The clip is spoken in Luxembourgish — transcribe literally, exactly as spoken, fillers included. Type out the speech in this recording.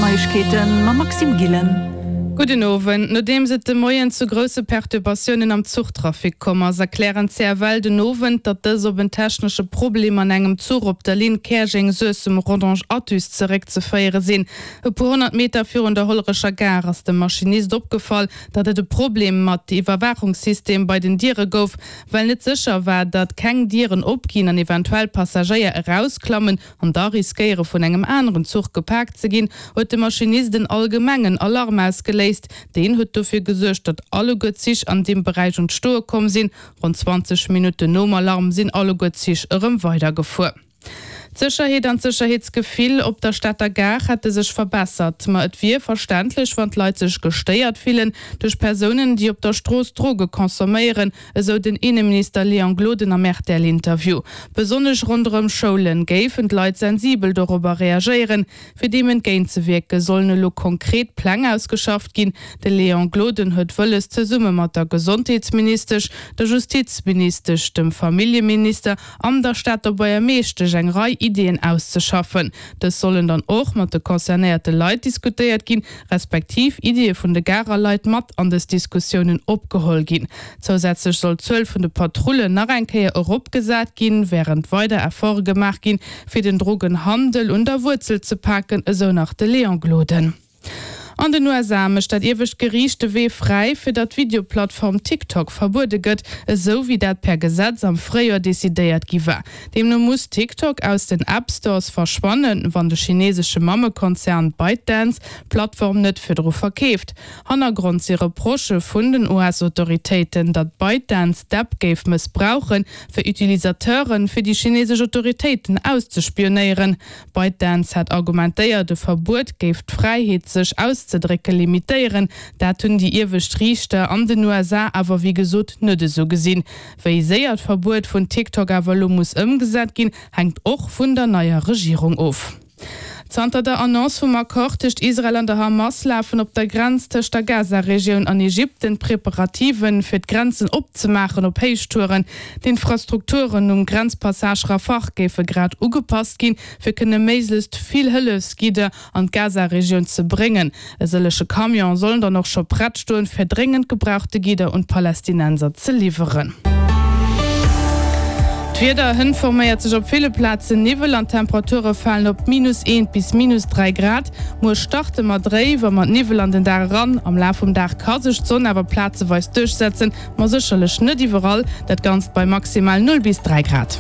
Neiegkeeten mam Maxime Gillen. Gudden Owend. Nodeems et de Moien zu grousse Perturbatiounen am Zuchtrafic komm ass, erklären d'CFL den Owend, datt dës op en technesche Problem an engem Zuch op der Linn Käerjeng-Suessem-Rodange-Athus zeréckzeféiere sinn. E puer honnert Meter virun der Hollerecher Gare ass dem Maschinist opgefall, datt et e Problem mat Iwwerwaachungssystem bei den Diere gouf. Well net sécher war, datt keng Dieren opginn an eventuell Passagéier erausklammen an da riskéiere vun engem aneren Zuch gepaakt ze ginn, huet de Maschinist en allgemengen Alarm ausgeléist. Deen huet dofir gesuergt, datt alleguer d'Zich an deem Beräich un d'Stoe komm sinn. Ronn zwanzeg Minutten nom Alarm sinn alleguer d'Zich erëm weidergefuer. D'Sécherheet an d'Sécherheetsgefill op der Stater Gare hätte sech verbessert, ma et wier verständlech, wann d'Leit sech gestéiert fillen duerch Persounen, déi op der Strooss Droge consomméieren, esou den Inneminister Léon Gloden am R T L-Interview. Besonnesch ronderëm Schoulen géifen d'Leit sensibel dorobber reagéieren. Fir deem entgéintzewierke sollen elo konkret Pläng ausgeschafft ginn. De Léon Gloden huet wëlles, zesumme mat der Gesondheetsministesch, der Justizministesch, dem Familljeminister an der Stater Buergermeeschtesch eng Rei Iddien auszeschaffen. Dës sollen dann och mat de concernéierte Leit diskutéiert ginn, respektiv Iddie vun de Garer Leit mat an dës Diskussiounen opgeholl ginn. Zousätzlech soll d'Zuel vun de Patrullen nach eng Kéier eropgesat ginn, wärend weider Efforte gemaach ginn, fir den Drogenhandel un der Wuerzel ze paken, esou nach de Léon Gloden. An den U S A mécht dat iewescht Geriicht de Wee fräi, fir datt d'Videoplattform TikTok verbuede gëtt, esou wéi dat per Gesetz am Fréijoer decidéiert gi war. Deemno muss TikTok aus den App Stores verschwannen, wann de chinesesche Mammekonzern ByteDance d'Plattform net virdru verkeeft. Hannergrond si Reprochë vun den U S-Autoritéiten, datt ByteDance d'App géif mëssbrauchen, fir Utilisateure fir déi chinesesch Autoritéiten auszespionéieren. ByteDance hat argumentéiert, de Verbuet géif d'Fräiheet sech auszedrécke limitéieren. Dat hunn déi iewescht Riichter an den U S A awer wéi gesot net esou gesinn. Wéi séier d'Verbuet vun TikTok awer elo muss ëmgesat ginn, hänkt och vun der neier Regierung of. Zanter der Annonce vum Accord tëscht Israel an der Hamas lafen op der Grenz tëscht der Gaza-Regioun an Ägypten d'Preparativen, fir d'Grenzen opzemaachen, op Héichtouren. D'Infrastrukturen um Grenzpassage Rafah géife grad ugepasst ginn, fir kënne méiglechst vill Hëllefsgidder an d'Gaza-Regioun ze bréngen. E sëllege Camione sollen dann och scho prett stoen, fir dréngend gebrauchte Gidder un d'Palästinenser ze liwweren. D'Wieder, Hënt forméiert sech op ville Plazen Niwwel an d'Temperature falen op minus eent bis minus dräi Grad. Muer starte mer dréif a mat Niwwel an den Dag eran. Am Laf vum Dag ka sech d'Sonn awer plazeweis duerchsetzen, ma sécherlech net iwwerall. Dat Ganzt bei maximal null bis dräi Grad.